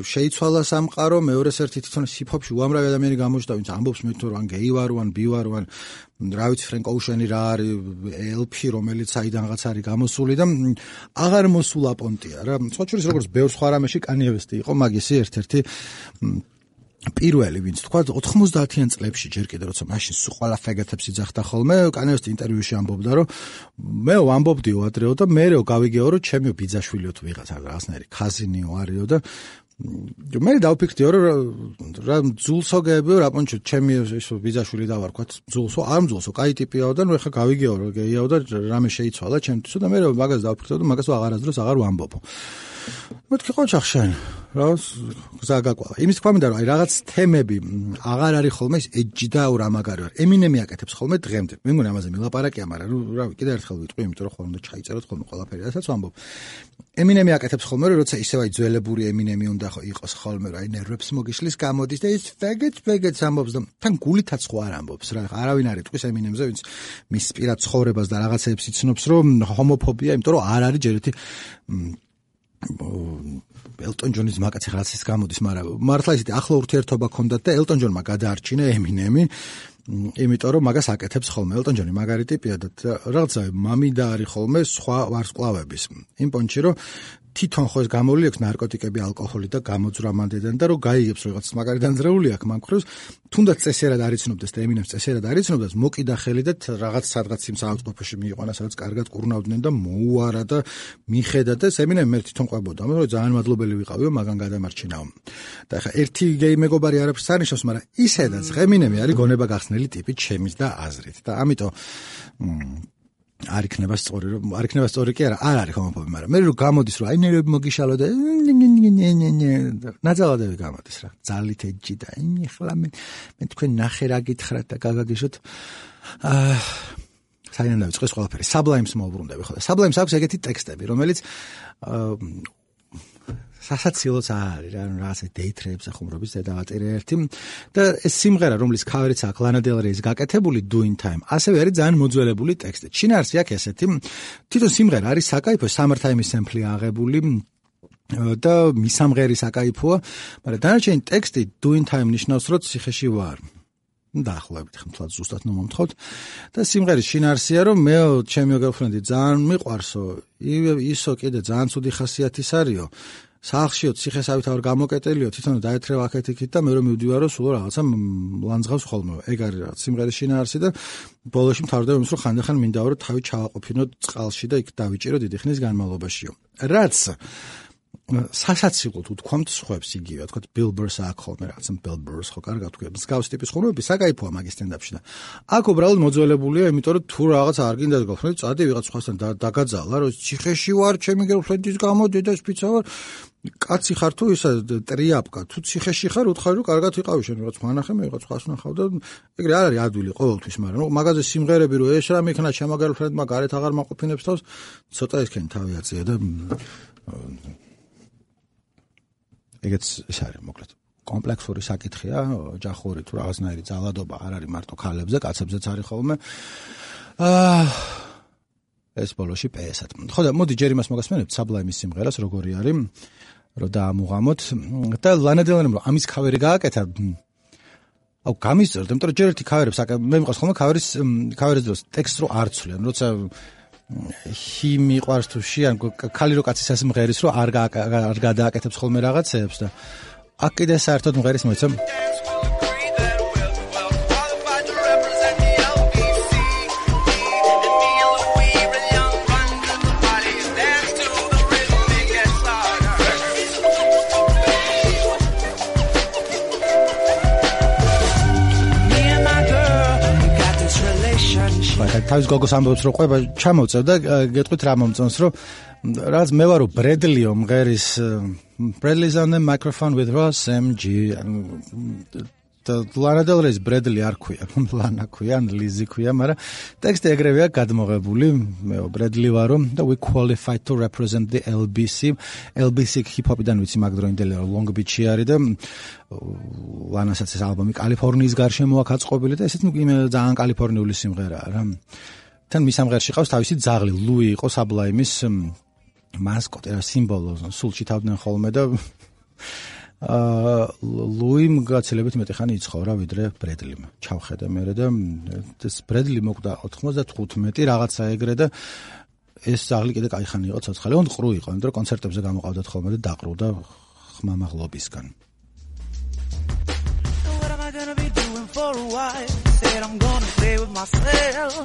შეიცვალა სამყარო, მეორეს ერთი თვითონ ჰიპ-ჰოპში უამრავი ადამიანი გამოჩნდა, ვინც ამბობს მე თუ ან გეი ვარ, ან ბი ვარ, ან რა ვიცი ფრენკ ოუშენი რა არის, LP რომელიც საიდანღაც არის გამოსული და აღარ მოსულა პონტია რა. სხვა შორის როგორც ბევრ სხვა რამეში Kanye West იყო მაგისი ერთ-ერთი პირველი, ვინც თქვა 90-იან წლებში ჯერ კიდე როცა მაშინ სულ ყველა ფეგეთებს იძახდა ხოლმე, Kanye West ინტერვიუში ამბობდა, რომ მე ვამბობდიო ადრეო და მერე გავიგეო, რომ ჩემი ბიძაშვილიო თუ ვიღაცა რაღაცნაირი ქაზინიო არისო და მე დავფიქრდიო, რომ რა ძულსო გეებიო, რა პონჩო ჩემი ბიძაშვილი დავარქვათ ძულსო, არ ძულსო, კაი ტიპიაო და ნუ ეხლა გავიგეო, რომ გეიაო და რამე შეიცვალა ჩემთვისო და მე მაგას დავფიქრდიო და მაგას აღარასდროს აღარ ვამბობო. მეთქი ყოჩახ შენ რა გზა გაკვალა. იმის თქვა მინდა რომ აი რაღაც თემები აღარ არის ხოლმე ეს ეჯი და რა მაგარი ვარ. ემინემი აკეთებს ხოლმე დღემდე. მე მგონი ამაზე მილაპარაკია, მაგრამ რა კიდე ერთხელ ვიტყვი, იმიტომ რომ ხოლმე ჩაიწეროთ ხოლმე ყველაფერი, რასაც ვამბობ. ემინემი აკეთებს ხოლმე რომ როცა ისევ აი ძველებური ემინემი უნდა იყოს ხოლმე რა, აი ნერვებს მოგიშლის გამოდის და ის faggots ამბობს და თან გულითაც ხო არ ამბობს რა. არავინ არ იტყვის ემინემზე, ვინც მის პირად ცხოვრებას და რაღაცებს იცნობს, რომ ჰომოფობია, იმიტომ რომ არ არის ჯერ ერთი ელტონ ჯონის მაგაც რაღაც ის გამოდის, მაგრამ მართლა ისეთი ახლო ურთიერთობა ჰქონდათ და ელტონ ჯონმა გადაარჩინა ემინემი, იმიტომ რომ მაგას აკეთებს ხოლმე. ელტონ ჯონი მაგარი ტიპია და რაღაცა მამიდა არის ხოლმე სხვა ვარსკვლავების. იმ პონჩი რომ თვითონ ხო ეს გამოვლი აქვს ნარკოტიკები, ალკოჰოლი და გამოძვრა მანდედან და რომ გაიგებს რომ რაღაც მაგარი დანძრეული აქვს მანქროს, თუნდაც წესიერად არ იცნობდეს და ემინემს წესიერად არ იცნობდეს, მოკიდა ხელი და რაღაც სადღაც იმ საავადმყოფოში მიიყვანა, სადაც კარგად კურნავდნენ და მოუარა და მიხედა და ემინემი მე თვითონ ყვებოდა, რომ ძალიან მადლობელი ვიყავიო, მაგან გადამარჩინაო. და ახლა ერთი გეი მეგობარი არაფერს არ ნიშნავს, მაგრამ ისედაც ემინემი არის გონება გახსნელი ტიპი ჩემის და აზრით და ამიტომ არ იქნება სწორი, რომ არ იქნება სწორი კი არა, არ არის ჰომოფობი, მაგრამ მე რომ გამოდის, რომ აი ნერვები მოგიშალო და ნაძალადები გამოდის რა, ძალით ეჯი და ახლა მე თქვენ ნახე რა გითხრათ და გაგაგიშოთ. საიდან დავიწყოს ყველაფერი. Sublimes მოვუბრუნდები ხო და Sublimes აქვს ეგეთი ტექსტები, რომელიც სასაცილოც არის რა, რაღაცა Date Rape სახუმრობის დედავატირე ერთი და ეს სიმღერა, რომლის ქავერიც აქვს Lana Del Rey-ის გაკეთებული Doing Time, ასევე არის ძალიან მოძველებული ტექსტი. შინაარსი აქვს ესეთი, თვითონ სიმღერა არის საკაიფო, Summertime-ის სემპლი აღებული და მისამღერი საკაიფოა, მაგრამ დანარჩენი ტექსტი Doing Time ნიშნავს, რომ ციხეში ვარ. დაახლოებით ხმთლად ზუსტად მომთხოვთ და სიმღერის შინაარსია, რომ მე ჩემი girlfriend-ი ძალიან მიყვარსო, ისო კიდე ძალიან ცუდი ხასიათის არისო. სახლშიო ციხესავით არ გამოკეტელიო, თვითონ დაეთრევ აქეთ-იქით და მე რომ მივდივარო, სულ რაღაცა ლანძღავს ხოლმე. ეგ არის რაღაც სიმღერის შინაარსი და ბოლოში მთავრდება იმის, რომ ხანდახან მინდაო, რომ თავი ჩავაყოფინო წყალში და იქ დავიჭირო დიდი ხნის განმავლობაშიო. რაც სასაცილოდ უთქვამთ სხვებს იგივე, თქვა Billboards აქ ხოლმე რაღაცა Billboards ხო კარგად თქვა. მსგავს ტიპის ხუმრობები საკაიფოა მაგის სტენდაპში და აქ უბრალოდ მოძველებულია, იმიტომ რომ თუ რაღაც არ გინდა გახსნით, წადი ვიღაც სხვასთან დაგაძალა, რომ ციხეში ვარ, ჩემი გერლფრენდის გამო, დედას ფიცა ვარ. კაცი ხარ თუ ისა ტრიაპკა, თუ ციხეში ხარ, უთხარი რომ კარგად ვიყავი შენ, რაღაც მანახე, მე რაღაც ხას ნახავ და ეგრე არ არის ადვილი ყოველთვის, მაგრამ ნუ მაგაზე სიმღერები რომ ეს რამე იქნა ჩემო გერლფრენდმა გარეთ აღარ მაყოფინებს თავს, ცოტა ისქენ თავი აწია და ეგეც ის არის მოკლედ კომპლექსური საკითხია, ჯახური თუ რაღაცნაირი ძალადობა არ არის მარტო ქალებზე, კაცებზეც არის ხოლმე. ეს ბოლოში PS-ად. ხო და მოდი ჯერ იმას მოგასმენებთ Sublime-ის სიმღერას, როგორი არის, რომ დაამუღამოთ და Lana Del Rey-მ ამის ქავერი გააკეთა. აუ გამისწერთ, იმიტომ რომ ჯერ ერთი ქავერებს მე მიყავს ხოლმე ქავერის დროს ტექსტს რო არ ცვლიან, როცა ჰი მიყვარს თუ ში ან ქალი რო კაცის ასმღერის რო არ გადააკეთებს ხოლმე რაღაცეებს და აქ კიდე საერთოდ მღერის მოიცა თავის გოგოს ამბობს რომ ყვება ჩამოვწევ და გეტყვით რა მომწონს რომ რაც მე ვარო ბრედლიო მღერის Bradley's on the microphone with Ross MG და Lana Del Rey ბრედლი არ ქვია ლანა ქვია ან ლიზი ქვია მაგრამ ტექსტი ეგრევეა გადმოღებული მე ბრედლი ვარო და we qualified to represent the LBC hip-hop-დან ვიცი მაგდროინდელი Long Beach-ი არის და ლანასაც ეს ალბომი კალიფორნიის გარშემო აქვს აწყობილი და ესეც ძალიან კალიფორნიული სიმღერაა რა. თან მის ამღერში ყავს თავისი ძაღლი ლუი იყო Sublime-ის მასკოტი რა სიმბოლო სულში თავდნენ ხოლმე და ლუიმ გაცილებით მეტი ხანი იცხოვრა ვიდრე ბრედლიმ. ჩავხედე მე და ეს ბრედლი მოკვდა 95 რაღაცა ეგრე და ეს ძაღლი კიდე კაი ხანი იყო ცოცხალი. ოღონდ ყრუ იყო, იმიტომ რომ კონცერტებზე გამოყავდათ ხოლმე და დაყრუდა ხმამაღლობისგან. Gonna be doing for a while. Said I'm gonna play with myself.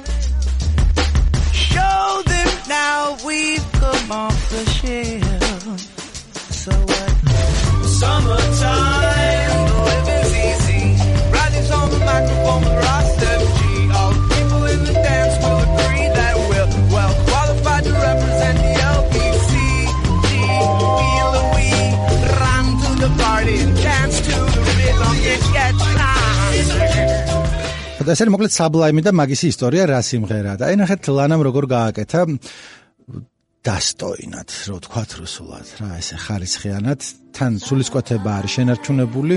Show them now we've come off the shelf. So what? Summertime, the living's easy. Riding's on the microphone with Ross MG. All the people in the dance will agree that we're well qualified to represent the LBC. We Louis ran to the party and danced to the rhythm. It gets და ეს არის მოკლედ Sublime და მაგისი ისტორია რა სიმღერაა და აი ნახეთ ლანამ როგორ გააკეთა დასტოინად რო თქვათ რუსულად რა ესე ხარისხიანად თან სულისკვეთება არის შენარჩუნებული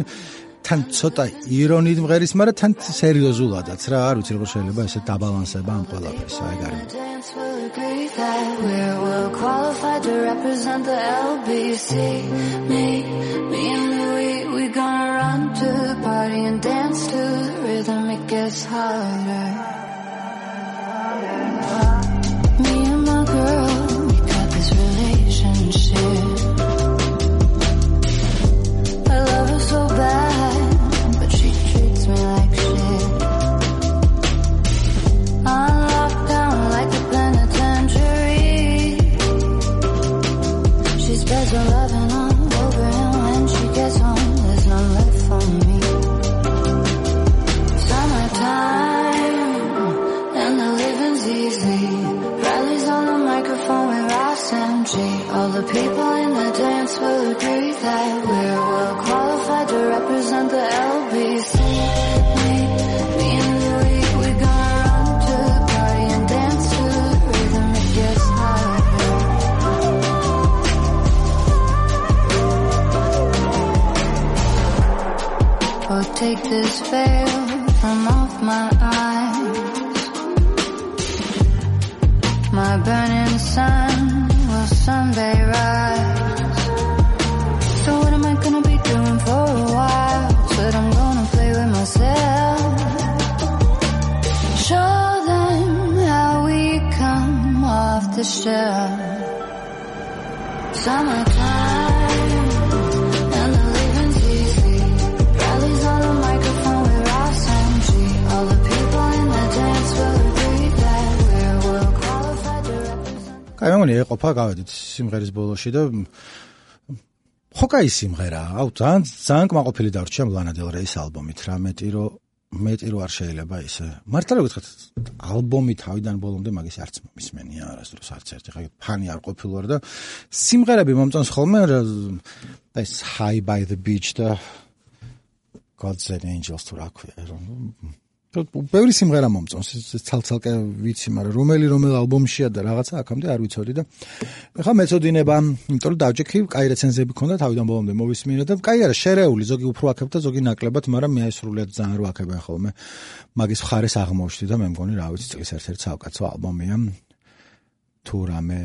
თან ცოტა ირონიით მღერის მაგრამ თან სერიოზულადაც რა არ ვიცი როგორ შეიძლება ესე დაბალანსება ამ ყველაფერს აი გარი We're well qualified to represent the LBC. Me and Louis, we gonna run to the party and dance to the rhythm. It gets harder. Me and my girl, we got this relationship. I love her so bad, but she treats me like shit. I'm locked down like a penitentiary. She spreads her loving all over him when she gets home. There's none left for me. Summertime and the living's easy. Bradley's on the microphone with Ross MG. All the people in the dance will agree that we're well qualified to represent the LBC. Me and Louis, we gonna run to the party and dance to the rhythm. It gets harder. Oh, take this veil from off my eyes. My burning sun will someday rise. So what am I gonna be doing for a while? Said I'm gonna play with myself. Show them how we come off the shelf. Summertime and the living's easy. Bradley's on the microphone with Ross MG. All the people in the dance will agree that we're well qualified to represent. კაი მეგონი ეყოფა გავედით სიმღერის ბოლოში და ხო კაი სიმღერა, ძალიან კმაყოფილი დარჩა ლანა დელ რეის ალბომით, რა მეტი რო არ შეიძლება ისე. მართლა რა გითხრათ, ალბომი თავიდან ბოლომდე მაგის არც მომისმენია არასდროს არც ერთი. ხა ფანი არ ყოფილვარ და სიმღერები მომწონს ხოლმე ეს High by the Beach და Gods and Angels თუ რა ქვია. ბევრი სიმღერა მომწონს, ცალ-ცალკე ვიცი, მაგრამ რომელ ალბომშია და რაღაცა აქამდე არ ვიცოდი და ეხლა მეწოდინება, იმიტომ რომ დავჭექი, კაი რეცენზიები ქონდა თავიდან ბოლომდე მოვისმინე და კაი არა, შერეული, ზოგი უფრო აქებდა, ზოგი ნაკლებად, მაგრამ მე სრულიად ძალიან რო აქებენ ხოლმე. მაგის მხარეს აღმოჩნდი და მე მგონი რა ვიცი, წლის ერთ-ერთი საუკეთესო ალბომია. თუ რამე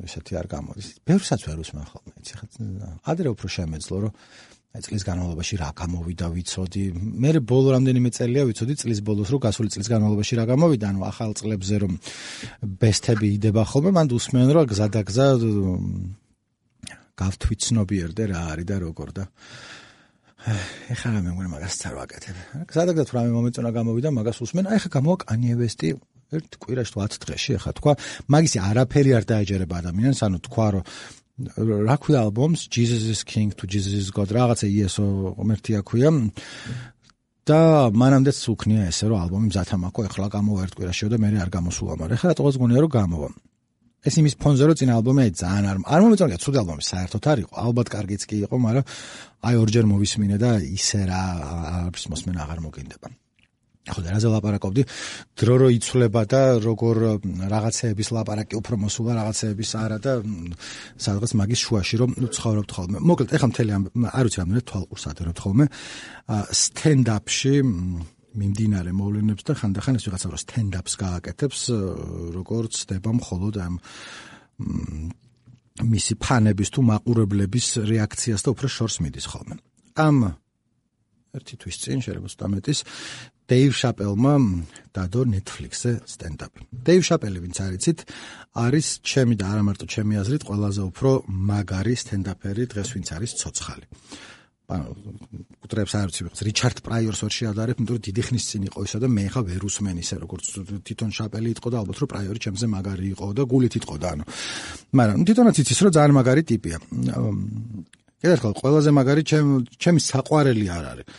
ესეთი არ გამოდის. ბევრსაც ვერ უსმენ ხოლმე, იცი ხა ადრე უფრო შემეძლო, რომ აი წლის განმავლობაში რა გამოვიდა ვიცოდი. მე ბოლო რამდენიმე წელია ვიცოდი წლის ბოლოს რომ გასული წლის განმავლობაში რა გამოვიდა, ანუ ახალ წლებზე რომ ბესტები იდება ხოლმე, მანდ უსმენ რომ გზადაგზა გავთვითცნობიერდე რა არის და როგორ და ეხლა მე მგონი მაგასაც არ ვაკეთებ. გზადაგზა თუ რამე მომეწონა გამოვიდა, მაგას უსმენ. აი ხა გამოვა Kanye West-ი ერთ კვირაში 10 დღეში, ეხლა თქვა, მაგისი არაფერი არ დაეჯერება ადამიანს, ანუ თქვა რომ რა ქვია ალბომს Jesus is King to Jesus is God რაღაცა იესო ღმერთია ქვია და მანამდეც უქნია ესე რომ ალბომი მზათამაკო ეხლა გამოვა ერთ კვირაშიო და მე არ გამოსულა, მაგრამ ეხლა რატოღაც გონია რომ გამოვა. ეს იმის ფონზე რომ წინა ალბომი ძალიან არ მომეწონა, ცუდი ალბომი საერთოდ არ იყო, ალბათ კარგიც კი იყო, მაგრამ აი ორჯერ მოვისმინე და ისე რა არც მოსმენა აღარ მოგინდება. ხო და რაზე ლაპარაკობდი, დრო რო იცვლება და როგორ რაღაცეების ლაპარაკი უფრო მოსულა, რაღაცეების არა და სადღაც მაგის შუაში რომ ცხოვრობთ ხოლმე. მოკლედ, ეხლა მთელი არ ვიცი რამდენი თვალყურს ადერებთ ხოლმე სტენდაპში მიმდინარე მოვლენებს და ხანდახან ეს ვიღაცა რო სტენდაპს გააკეთებს, როგორც ხდება მხოლოდ ამ მისი ფანების თუ მაყურებლების რეაქციას და უფრო შორს მიდის ხოლმე. ამ ერთი თვის წინ შეიძლება სტამეტის Dave Chappelle-მა დადო Netflix-ზე სტენდაპი. Dave Chappelle, ვინც არიცით, არის ჩემი და არა მარტო ჩემი აზრით ყველაზე უფრო მაგარი სტენდაპერი დღეს, ვინც არის ცოცხალი. კუტრებს არ ვიცი, რიჩარდ პრაიორს ვერ შეადარებ, იმიტომ რომ დიდი ხნის წინ იყო ისა და მე ხა ვერ უსმენ ისე, როგორც თვითონ Chappelle იტყოდა, ალბათ რომ პრაიორი ჩემზე მაგარი იყო და გულით იტყოდა, ანუ. მაგრამ თვითონაც იცის, რომ ძალიან მაგარი ტიპია. კიდევ ერთხელ, ყველაზე მაგარი ჩემი საყვარელი არ არის.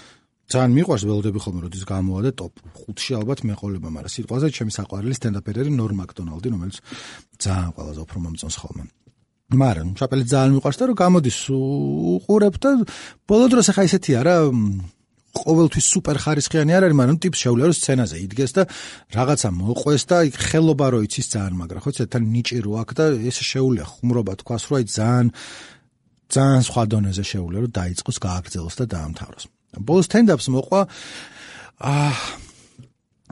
ძალიან მიყვარს, ველოდები ხოლმე როდის გამოვა და ტოპ 5-ში ალბათ მეყოლება, მაგრამ სიტყვაზე ჩემი საყვარელი სტენდაპერი არის Norm Macdonald-ი, რომელიც ძალიან ყველაზე უფრო მომწონს ხოლმე. მაგრამ Chappelle ძალიან მიყვარს და რომ გამოდის უყურებ და ბოლო დროს ახლა ისეთია რა, ყოველთვის სუპერ ხარისხიანი არ არის, მაგრამ ტიპს შეუძლია რომ სცენაზე იდგეს და რაღაცა მოყვეს და იქ ხელობა რო იცის ძალიან მაგრა, ხო, თან ნიჭი რო აქვს და ეს შეუძლია ხუმრობა თქვას, რომ აი ძალიან სხვა დონეზე შეუძლია რომ დაიწყოს, გააგრძელოს და დაამთავროს. ბოლოს სტენდაპს მოყვა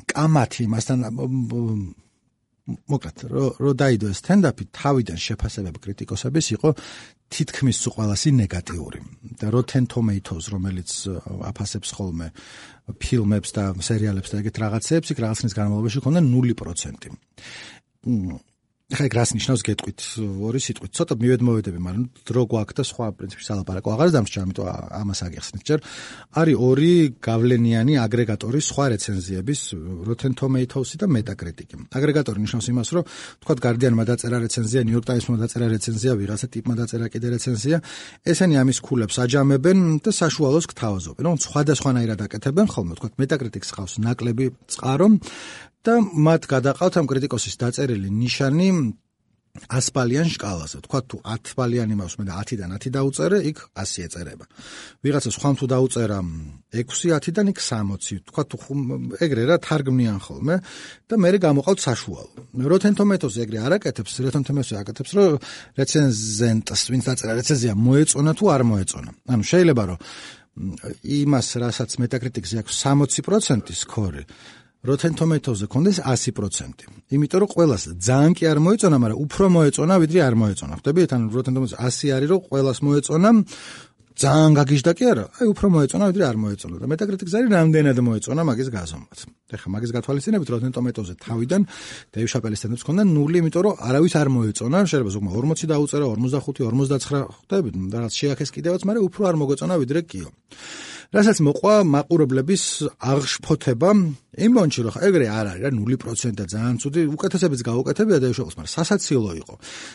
კამათი მასთან მოკლედ რო დაიდო ეს სტენდაპი, თავიდან შეფასებები კრიტიკოსების იყო თითქმის სულ ყველასი ნეგატიური და Rotten Tomatoes, რომელიც აფასებს ხოლმე ფილმებს და სერიალებს და ეგეთ რაღაცებს, იქ რაღაცნის განმავლობაში ქონდა 0%. ხა ეგ რას ნიშნავს გეტყვით ორი სიტყვით, ცოტა მივედმოვედები, მაგრამ დრო გვაქვს და სხვა პრინციპში სალაპარაკო აღარ დამრჩა, ამიტომ ამას აგიხსნით ჯერ. არის ორი გავლენიანი აგრეგატორი სხვა რეცენზიების, Rotten Tomatoes-ი და Metacritic-ი. აგრეგატორი ნიშნავს იმას, რომ თქვათ Guardian-მა დაწერა რეცენზია, New York Times-მა დაწერა რეცენზია, ვიღაცა ტიპმა დაწერა კიდე რეცენზია, ესენი ამის ქულებს აჯამებენ და საშუალოს გთავაზობენ. რომ სხვადასხვანაირად აკეთებენ ხოლმე, თქვათ Metacritic-ს ყავს ნაკლები წყარო და მათ გადაყავთ ამ კრიტიკოსის დაწერილი ნიშანი 100 ბალიან შკალაზე. თქვა თუ 10 ბალიანი მაქვს, მე და 10-დან 10 დაუწერე, იქ 100 ეწერება. ვიღაცა სხვამ თუ დაუწერა 6, 10-დან იქ 60. თქვა თუ ეგრე რა თარგმნიან ხოლმე და მე გამოყავთ საშუალო. Rotten Tomatoes ეგრე არ აკეთებს, Rotten Tomatoes აკეთებს, რომ რეცენზენტს, ვინც დაწერა რეცენზია, მოეწონა თუ არ მოეწონა. ანუ შეიძლება რომ იმას, რასაც Metacritic-ზე აქვს 60% სკორი, Rotten Tomatoes-ზე კონდეს 100%. იმიტომ რომ ყველას ძალიან კი არ მოეწონა, მაგრამ უფრო მოეწონა, ვიდრე არ მოეწონა. ხვდებით? ანუ Rotten Tomatoes 100 არის, რომ ყველას მოეწონა, ძალიან გაგიჟდა კი არა, აი უფრო მოეწონა, ვიდრე არ მოეწონა. და Metacritic-ზე არის რამდენად მოეწონა მაგის გაზომვაც. ეხლა მაგის გათვალისწინებით Rotten Tomatoes-ზე თავიდან Dave Chappelle-ის სტენდაპს ქონდა 0, იმიტომ რომ არავის არ მოეწონა, შეიძლება ზოგმა 40 დაუწერა, 45, 49, ხვდებით? რაღაც შეაქეს კიდევაც, მაგრამ უფრო არ მოგეწონა, ვიდრე კიო. რასაც მოყვა მაყურებლების აღშფოთება იმ მომენტში, რომ ეგრე არ არის რა 0% და ძალიან ცუდი, უკეთესებიც გაუკეთებია დაიშოყოს, მაგრამ სასაცილო იყო.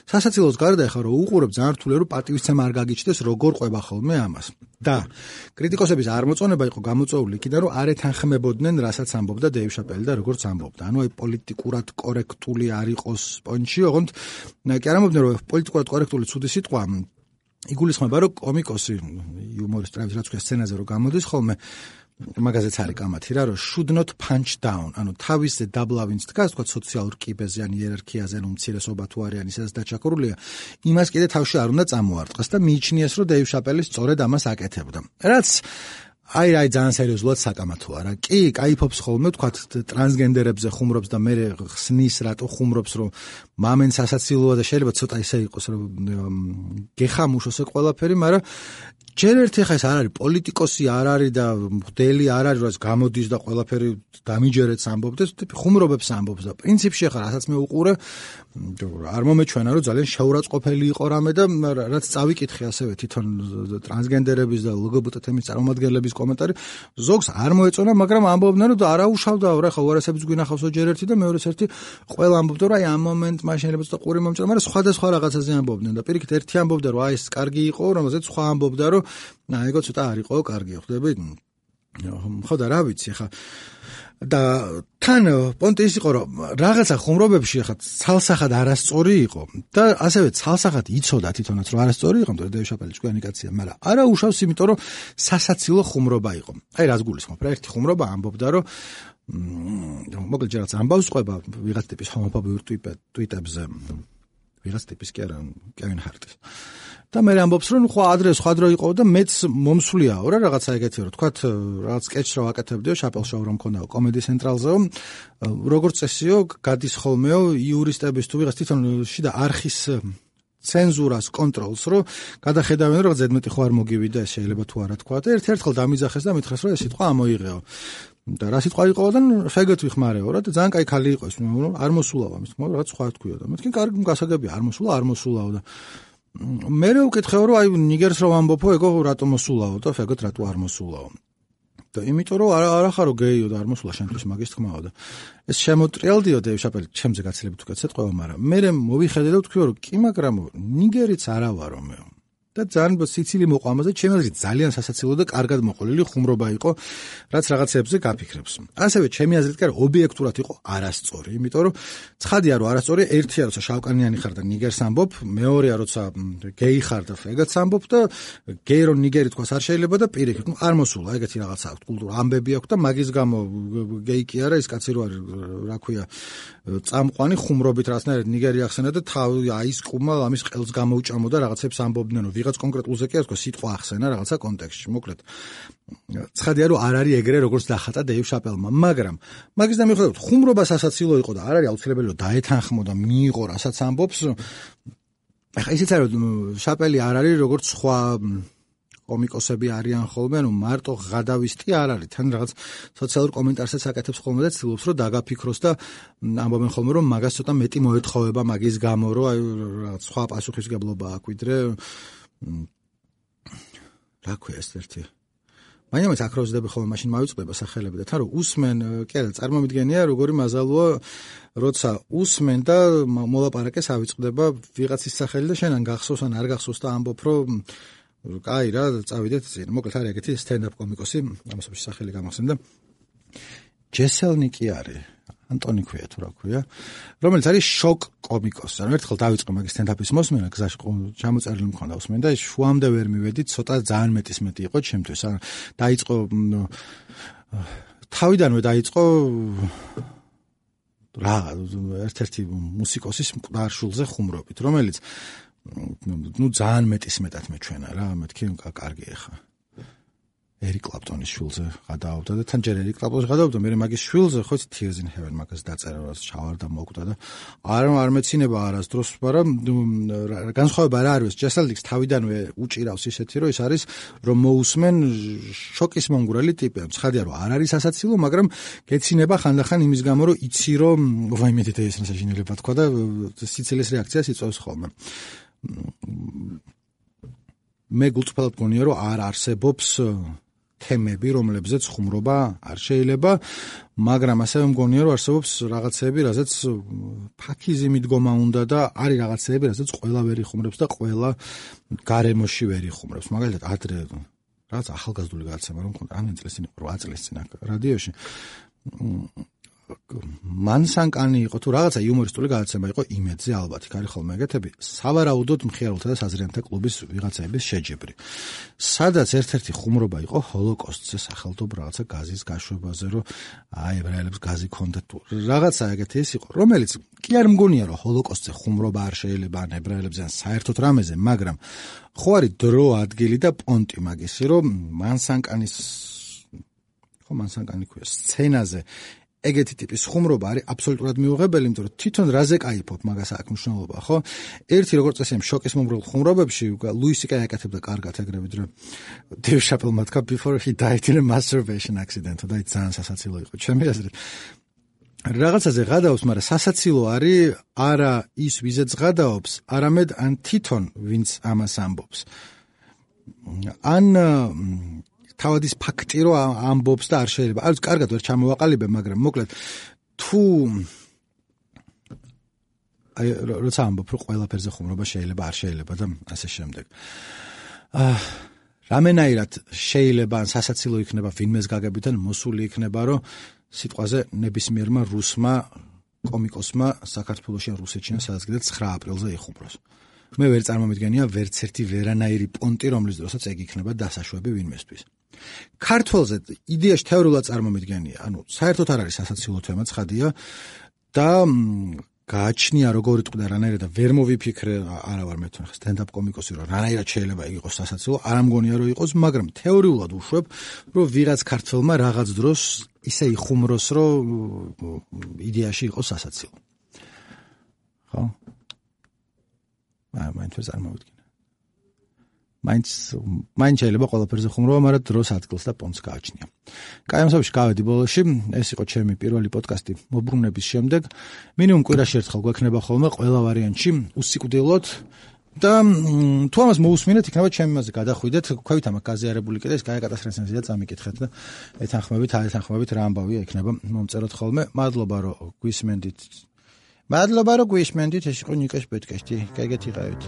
სასაცილოს გარდა ახლა რომ უყურებ ძალიან რთულია რომ პატივისცემა არ გაგიჩნდეს, როგორ ყვება ხოლმე ამას. და კრიტიკოსების წარმოწონება იყო გამოწვეული იქიდან, რომ არ ეთანხმებოდნენ, რასაც ამბობდა დეივ შაპელი და როგორც ამბობდა. ანუ აი პოლიტიკურად კორექტული არ იყოს პონჩი, ოღონდ კი არ ამბობდნენ, რომ პოლიტიკურად კორექტული ცუდი სიტყვა იგულისხმება, რომ კომიკოსი იუმორისტი რაც ქვია სცენაზე რომ გამოდის ხოლმე მაგაზეც არის კამათი რა, რომ should not punch down, ანუ თავისზე დაბლავინც დგას, თქვა სოციალურ კიბეზე ან იერარქიაზე, ანუ მცირესობა თუ არის, ისედაც დაჩაქურულია, იმას კიდე თავში არ უნდა წამოარტყას და მიიჩნიეს, რომ დეივ შაპელი სწორედ ამას აკეთებდა. რაც აი ძალიან სერიოზულად საკამათოა რა. კი, кайფობს ხოლმე თქვა ტრანსგენდერებზე ხუმრობს და მე ხსნის რატო ხუმრობს, რომ მამენ სასაცილოა და შეიძლება ცოტა ისე იყოს, რომ გეხამუშოს ეს ყველაფერი, მაგრამ ჯერ ერთი ხა ეს არ არის პოლიტიკოსი არ არის და მღვდელი არ არის, რაც გამოდის და ყველაფერი დამიჯერებს ამბობდეს, ხუმრობებს ამბობს და პრინციპში ხა რასაც მე უყურე არ მომეჩვენა, რომ ძალიან შეურაცხყოფელი იყო რამე და რაც წავიკითხე ასევე თვითონ ტრანსგენდერების და ლგბტ თემის წარმომადგენლების კომენტარი, ზოგს არ მოეწონა, მაგრამ ამბობდნენ, რომ არაუშავდა, რა ხა უარესებს გვინახავსო ჯერ ერთი და მეორეს ერთი ყველა ამბობდა, რომ აი ამ მომენტ მაშინ შეიძლება ცოტა ყური მომჭრა, მაგრამ სხვადასხვა რაღაცაზე ამბობდნენ და პირიქით ერთი ამბობდა, რომ აი ეს კარგი იყო, რომელზეც სხვა ამბობდა, რომ ეგო ცოტა არ იყო კარგი, ხვდები? ხო და რა ვიცი ხა და თან პონტი ის იყო რომ რაღაცა ხუმრობებში ხა ცალსახად არასწორი იყო და ასევე ცალსახად იცოდა თვითონაც რომ არასწორი იყო, მაგრამ დეივ შაპელი ჭკვიანი კაცია, მაგრამ არა უშავს იმიტომ რომ სასაცილო ხუმრობა იყო. აი რას გულისხმობ რა, ერთი ხუმრობა ამბობდა რომ მოკლედ ჯერაც ამბავს ყვება ვიღაც ტიპის ჰომოფობიურ ტვიტებზე, ვიღაც ტიპის კი არა, კევინ ჰარტის. და მე ამბობს რომ ხო ადრე სხვა დრო იყო და მეც მომსვლიაო რა რაღაცა ეგეთი რომ თქვათ რაღაც სკეჩს რა ვაკეთებდიო შაპელ შოუ რომ მქონდაო კომედი ცენტრალზეო როგორც წესიო გადის ხოლმეო იურისტების თუ ვიღაც თვითონ შიდა არხის ცენზურას კონტროლს რომ გადახედავენ რომ ზედმეტი ხო არ მოგივიდა ეს შეიძლება თუ არა თქვა და ერთ-ერთხელ დამიძახეს და მითხრეს რომ ეს სიტყვა ამოიღეო და რა სიტყვა იყოდა შეგეთ ვიხმარეო რა და ძალიან კაი ხალი იყო ის არ მოსულაო ამის თქმა რაღაც სხვა თქვიო და მეთქი კარგი გასაგებია არ მოსულაო და მე ვკითხეო რომ აი ნიგერს რომ ამბობო ეგო რატო მოსულაო და ფეგოთ რატო არ მოსულაო და იმიტომ რომ არა ხარო გეიო და არ მოსულა შენთვის მაგის თქმაო და ეს შემოტრიალდიო დეივ შაპელი ჩემზე გაცილებით უკეთესად ყვევა მაგრამ მე მოვიხედე და ვთქვიო რომ კი მაგრამ ნიგერიც არა ვარო მე და ძალიან სიცილი მოყვა ამაზე ჩემი აზრით ძალიან სასაცილო და კარგად მოყოლილი ხუმრობა იყო რაც რაღაცებზე გაფიქრებს ასევე ჩემი აზრით კი ობიექტურად იყო არასწორი იმიტომ რომ ცხადია რომ არასწორი ერთია როცა შავკანიანი ხარ და ნიგერს ამბობ მეორეა როცა გეი ხარ და ფეგაც ამბობ და გეი რომ ნიგერი თქვას არ შეიძლება და პირიქით არ მოსულა ეგეთი რაღაცა აქვს კულტურა ამბები აქვს და მაგის გამო გეი კი არა ის კაცი რო არის რა ქვია წამყვანი ხუმრობით რაღაცნაირად ნიგერი ახსენა და თავი აისკუმა ამის ყელს გამოუჭამო და რაღაცებს ამბობდნენ ვიღაც კონკრეტულზე კი არა სიტყვა ახსენა რაღაცა კონტექსტში მოკლედ ცხადია რომ არ არის ეგრე როგორც დახატა დეივ შაპელმა მაგრამ მაგის და მიუხედავად ხუმრობა სასაცილო იყო და არ არის აუცილებელი რომ დაეთანხმო და მიიღო რასაც ამბობს ახლა ისიც არის რომ შაპელი არ არის როგორც სხვა კომიკოსები არიან ხოლმე ანუ მარტო ღადავისტი არ არის თან რაღაც სოციალურ კომენტარსაც აკეთებს ხოლმე და ცდილობს რომ დაგაფიქროს და ამბობენ ხოლმე რომ მაგას ცოტა მეტი მოეთხოვება მაგის გამო რომ აი რაღაც სხვა პასუხისგებლობა აქვს ვიდრე რა ქვია ეს ერთი მაინც აკროზდები ხოლმე მაშინ მოვიწყდება სახელები და თან რომ усმენ კი არა წარმომიდგენია როგორი მაზალოა როცა усმენ და მოლაპარაკეს ავიწყდება ვიღაცის სახელი და შენან გახსოვს ან არ გახსოვს და ამბობ რომ კაი რა წავიდეთ წინ მოკლედ არის ეგეთი სტენდაპ კომიკოსი ამასობაში სახელი გამახსენდა ჯესელნიკი არის ანტონი ქვია თუ რა ქვია რომელიც არის შოკ კომიკოსი ანუ ერთხელ დავიწყე მაგის სტენდაპის მოსმენა გზაში ჩამოწერილი მქონდა усმენ და შუამდე ვერ მივედი ცოტა ძალიან მეტი იყო ჩემთვის ან დაიწყო თავიდანვე დაიწყო რა ერთ-ერთი მუსიკოსის მკვდარ შულზე ხუმრობით რომელიც ძალიან მეტად მეჩვენა რა მეთქი კარგი ახლა ერიკ კლაპტონის შვილზე გადაავდა და თან ჯერ ერიკ კლაპტონის გადაავდა მე მაგის შვილზე ხო Tears in Heaven მაგას დაწერა რა ჩავარდა მოკვდა და არ მეცინება არასდროს მაგრამ განსხვავება რა არის ჯესელდიქს თავიდანვე უჭირავს ისეთი რომ ის არის რომ მოусმენ შოკის მომგვრელი ტიპი ცხადია რომ არ არის სასაცილო მაგრამ გეცინება ხანდახან იმის გამო რომ იცი რომ ვაიმე ეს ნასაჟინელება თქვა და სიცილის რეაქციას იწვევს ხოლმე მე გულწრფელად გონია რომ არ არსებობს თემები, რომლებზეც ხუმრობა არ შეიძლება, მაგრამ ასევე მგონია, რომ არსებობს რაღაცები, რაზეც ფაქიზი მიდგომა უნდა და არის რაღაცები, რაზეც ყველა ვერ იხუმრებს და ყველა გარემოში ვერ იხუმრებს. მაგალითად, ადრე რაღაც ახალგაზრდული გადაცემა რომ მქონდა, რამდენი წლის წინ, 8 წლის წინ რადიოში. მანსანკანი იყო თუ რაღაცა იუმორისტული გადაცემა იყო იმედზე ალბათ, იქ არის ხოლმე ეგეთები, სავარაუდოდ მხიარულთა და საზრიანთა კლუბის ვიღაცების შეჯიბრი. სადაც ერთ-ერთი ხუმრობა იყო ჰოლოკოსტზე, სახელმწიფო რაღაცა გაზის გაშვებაზე, რომ აი ებრაელებს გაზი ქონდათ თუ რაღაცა ეგეთი ის იყო, რომელიც კი არ მგონია რომ ჰოლოკოსტზე ხუმრობა არ შეიძლება ან ებრაელებზე ან საერთოდ რამეზე, მაგრამ ხო არის დრო, ადგილი და პონტი მაგისი, რომ მანსანკანის სცენაზე ეგეთი ტიპის ხუმრობა არის აბსოლუტურად მიუღებელი, იმიტომ რომ თვითონ რაზე кайფობ მაგას აქვს მნიშვნელობა, ხო? ერთი როგორც წესი შოკის მომრგვალ ხუმრობებში ლუისი კაი აკეთებდა კარგად ეგრევე რომ Dave Chappelle თქვა before he died in a masturbation accident და ის ძალიან სასაცილო იყო. ჩემი აზრით რაღაცაზე გადაობს, მაგრამ სასაცილო არის არა ის ვიზეც გადაობს, არამედ ან თვითონ ვინც ამას ამბობს. ან თავად ის ფაქტი რომ ამბობს და არ შეიძლება. არის კარგად ვერ ჩამოვაყალიბე, მაგრამ მოკლედ თუ აი როცა ამბობ რომ ყველაფერზე ხუმრობა შეიძლება, არ შეიძლება და ასე შემდეგ. რამენაირად შეიძლება ან სასაცილო იქნება ვინმეს გაგებიდან მოსული იქნება რომ სიტყვაზე ნებისმიერმა რუსმა კომიკოსმა საქართველოში ან რუსეთში ან სადაც კიდე 9 აპრილზე იხუმროს. მე ვერ წარმომიდგენია ვერც ერთი ვერანაირი პონტი, რომლის დროსაც ეგ იქნება დასაშვები ვინმესთვის. ქართველზე იდეაში თეორიულად წარმომიდგენია, ანუ საერთოდ არ არის სასაცილო თემა, ცხადია და გააჩნია როგორ იტყდა რანაირად და ვერ მოვიფიქრე, არა ვარ მე თვითონ სტენდაპ კომიკოსი რომ რანაირად შეიძლება იყოს სასაცილო, არ ამგონია რომ იყოს, მაგრამ თეორიულად უშვებ, რომ ვიღაც ქართველმა რაღაც დროს ისე იხუმროს, რომ იდეაში იყოს სასაცილო. ხო? მაინც ვერ წარმოვიდგინე. მაინც შეიძლება ყველაფერზე ხუმრობა, მაგრამ დროს ადგილს და პონტს გააჩნია. კაი, ამ სამში გავედი ბოლოში, ეს იყო ჩემი პირველი პოდკასტი მობრუნების შემდეგ. მინიმუმ კვირაში ერთხელ გვექნება ხოლმე ყველა ვარიანტში უსიკვდილოდ და თუ ამას მოусმინეთ, იქნება ჩემი მასზე გადახვიდეთ, ქვევით ამას გაზიარებული კიდე ეს გააკატასტრენსენზია წამიკითხეთ და ეთანხმებით რა ამბავია იქნება მომწეროთ ხოლმე. მადლობა რომ გვისმენდით, ეს იყო ნიკას პოდკასტი. კაიგეთ იყავით.